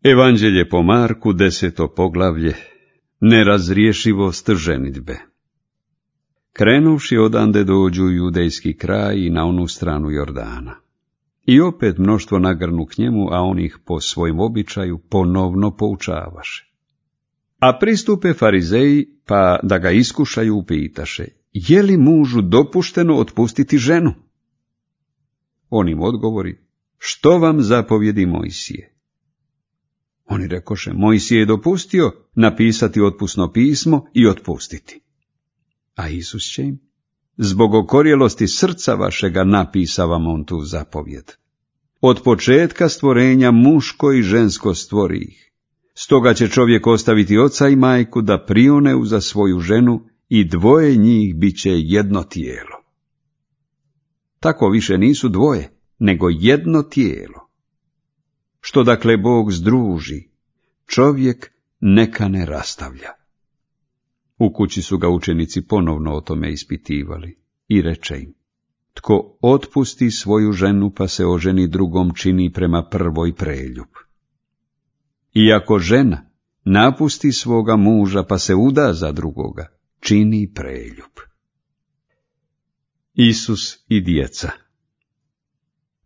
Evanđelje po Marku, 10. poglavlje. Nerazriješivost ženidbe. Krenuvši odande dođu u judejski kraj i na onu stranu Jordana. I opet mnoštvo nagrnu k njemu, a on ih po svojim običaju ponovno poučavaše. A pristupe farizeji, pa da ga iskušaju upitaše, je li mužu dopušteno otpustiti ženu? On im odgovori, što vam zapovjedi Mojsije? Oni rekoše, Mojsije je dopustio napisati otpusno pismo i otpustiti. A Isus će im, zbog okorjelosti srca vašega napisa vam on tu zapovjed. Od početka stvorenja muško i žensko stvori ih. Stoga će čovjek ostaviti oca i majku da prione uza svoju ženu i dvoje njih bit će jedno tijelo. Tako više nisu dvoje, nego jedno tijelo. Što dakle Bog združi, čovjek neka ne rastavlja. U kući su ga učenici ponovno o tome ispitivali i reče im, tko otpusti svoju ženu pa se oženi drugom čini prema prvoj preljub. I ako žena napusti svoga muža pa se uda za drugoga, čini preljub. Isus i djeca.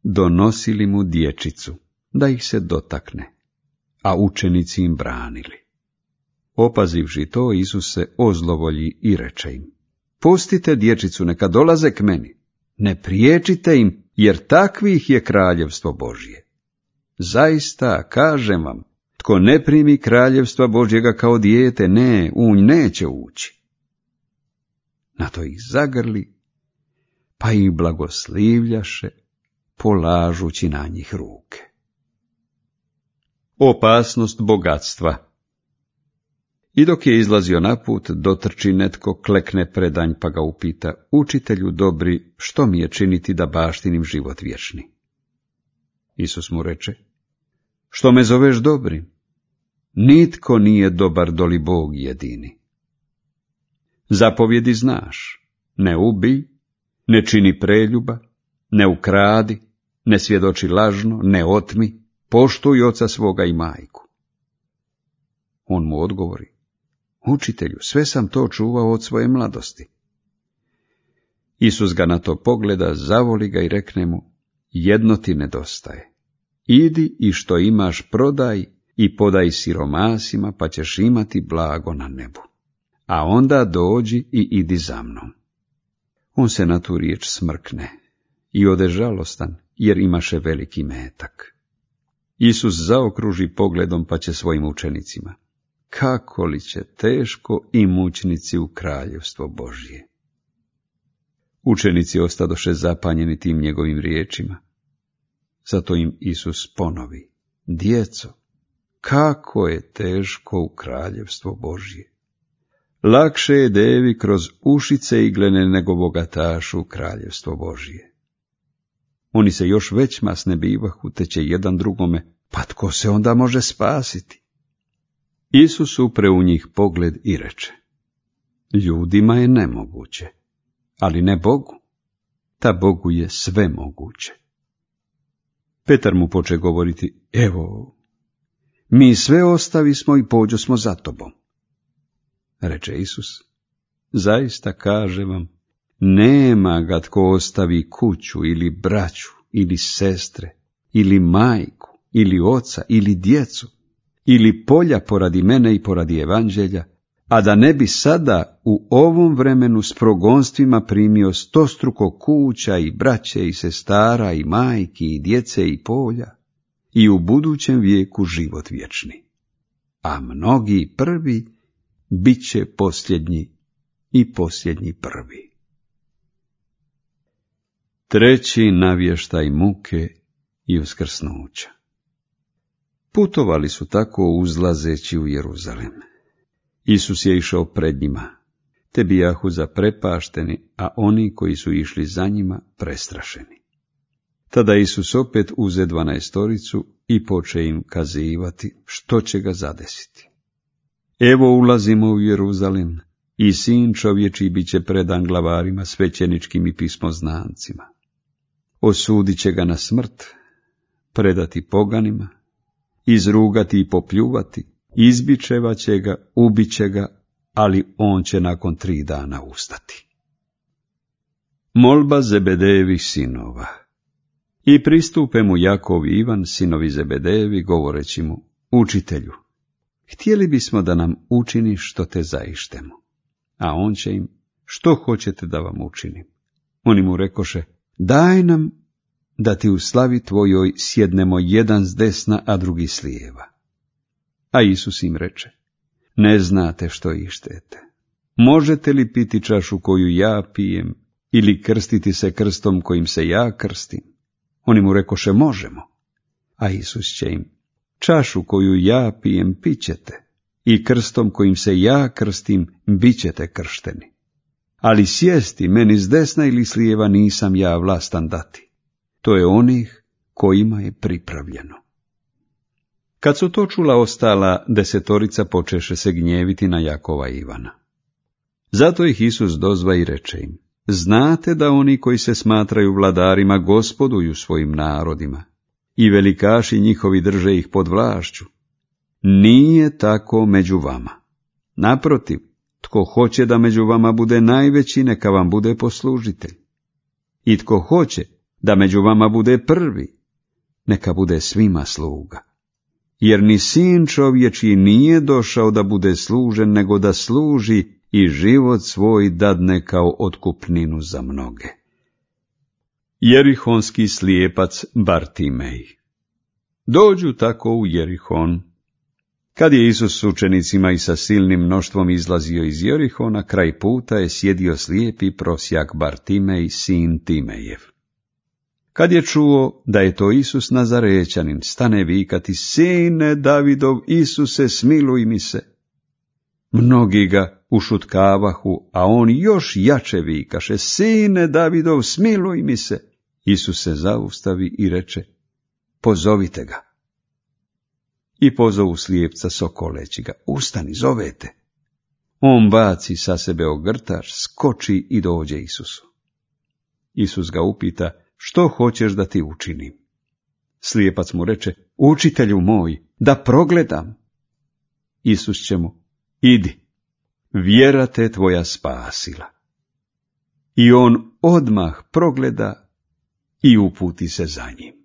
Donosili mu dječicu, da ih se dotakne, a učenici im branili. Opazivši to, Isus se ozlovolji i reče im, pustite dječicu, neka dolaze k meni, ne priječite im, jer takvih je kraljevstvo Božje. Zaista, kažem vam, tko ne primi kraljevstva Božjega kao dijete, u nj neće ući. Na to ih zagrli, pa ih blagoslivljaše, polažući na njih ruke. Opasnost bogatstva. I dok je izlazio na put, dotrči netko, klekne predanj pa ga upita, učitelju dobri, što mi je činiti da baštinim život vječni? Isus mu reče, što me zoveš dobrim? Nitko nije dobar doli Bog jedini. Zapovjedi znaš, ne ubij, ne čini preljuba, ne ukradi, ne svjedoči lažno, ne otmi, poštuj oca svoga i majku. On mu odgovori, učitelju, sve sam to čuvao od svoje mladosti. Isus ga na to pogleda, zavoli ga i rekne mu, jedno ti nedostaje. Idi i što imaš prodaj i podaj siromasima, pa ćeš imati blago na nebu. A onda dođi i idi za mnom. On se na tu riječ smrkne i ode žalostan, jer imaše veliki metak. Isus zaokruži pogledom pa će svojim učenicima, kako li će teško i mučnici u kraljevstvo Božje. Učenici ostadoše zapanjeni tim njegovim riječima. Zato im Isus ponovi, djeco, kako je teško u kraljevstvo Božje. Lakše je devi kroz ušice iglene nego bogatašu u kraljevstvo Božje. Oni se još već masne bivahu, te će jedan drugome, pa tko se onda može spasiti? Isus upre u njih pogled i reče, ljudima je nemoguće, ali ne Bogu, ta Bogu je sve moguće. Petar mu poče govoriti, evo, mi sve ostavismo i pođosmo za tobom. Reče Isus, zaista kažem vam, nema ga tko ostavi kuću ili braću ili sestre ili majku ili oca ili djecu ili polja poradi mene i poradi evanđelja, a da ne bi sada u ovom vremenu s progonstvima primio 100struko kuća i braće i sestara i majki i djece i polja i u budućem vijeku život vječni. A mnogi prvi bit će posljednji i posljednji prvi. Treći navještaj muke i uskrsnuća. Putovali su tako uzlazeći u Jeruzalem. Isus je išao pred njima, te bijahu zaprepašteni, a oni koji su išli za njima prestrašeni. Tada Isus opet uze 12 i poče im kazivati što će ga zadesiti. Evo ulazimo u Jeruzalem i sin čovječiji bit će predan glavarima svećeničkim i pismoznancima. Osudit će ga na smrt, predati poganima izrugati i popljuvati, izbičevat će ga, ubit će ga, ali on će nakon 3 dana ustati. Molba Zebedejevih sinova. I pristupe mu Jakov i Ivan, sinovi Zebedejevi, govoreći mu: Učitelju, htjeli bismo da nam učiniš što te zaištemo. A on će im: Što hoćete da vam učinim? Oni mu rekoše: Daj nam da ti u slavi tvojoj sjednemo jedan s desna, a drugi s lijeva. A Isus im reče: Ne znate što ištete. Možete li piti čašu koju ja pijem, ili krstiti se krstom kojim se ja krstim? Oni mu rekoše: Možemo. A Isus će im: Čašu koju ja pijem pićete, i krstom kojim se ja krstim bit ćete kršteni. Ali sjesti meni s desna ili s lijeva nisam ja vlastan dati. To je onih kojima je pripravljeno. Kad su to čula ostala 10 počeše se gnjeviti na Jakova i Ivana. Zato ih Isus dozva i reče im: Znate da oni koji se smatraju vladarima gospoduju svojim narodima, i velikaši njihovi drže ih pod vlašću. Nije tako među vama. Naprotiv, tko hoće da među vama bude najveći, neka vam bude poslužitelj. I tko hoće da među vama bude prvi, neka bude svima sluga. Jer ni sin čovječji nije došao da bude služen, nego da služi i život svoj dadne kao otkupninu za mnoge. Jerihonski slijepac Bartimej. Dođu tako u Jerihon. Kad je Isus s učenicima i sa silnim mnoštvom izlazio iz Jerihona, kraj puta je sjedio slijepi prosjak Bartimej, sin Timejev. Kad je čuo da je to Isus Nazarećanin, stane vikati: Sine Davidov, Isuse, smiluj mi se. Mnogi ga ušutkavahu, a on još jače vikaše: Sine Davidov, smiluj mi se. Isus se zaustavi i reče: Pozovite ga. I pozovu slijepca sokoleći ga: Ustani, zovete. On baci sa sebe ogrtač, skoči i dođe Isusu. Isus ga upita: Što hoćeš da ti učinim? Slijepac mu reče: Učitelju moj, da progledam. Isus će mu: Idi, vjera te tvoja spasila. I on odmah progleda i uputi se za njim.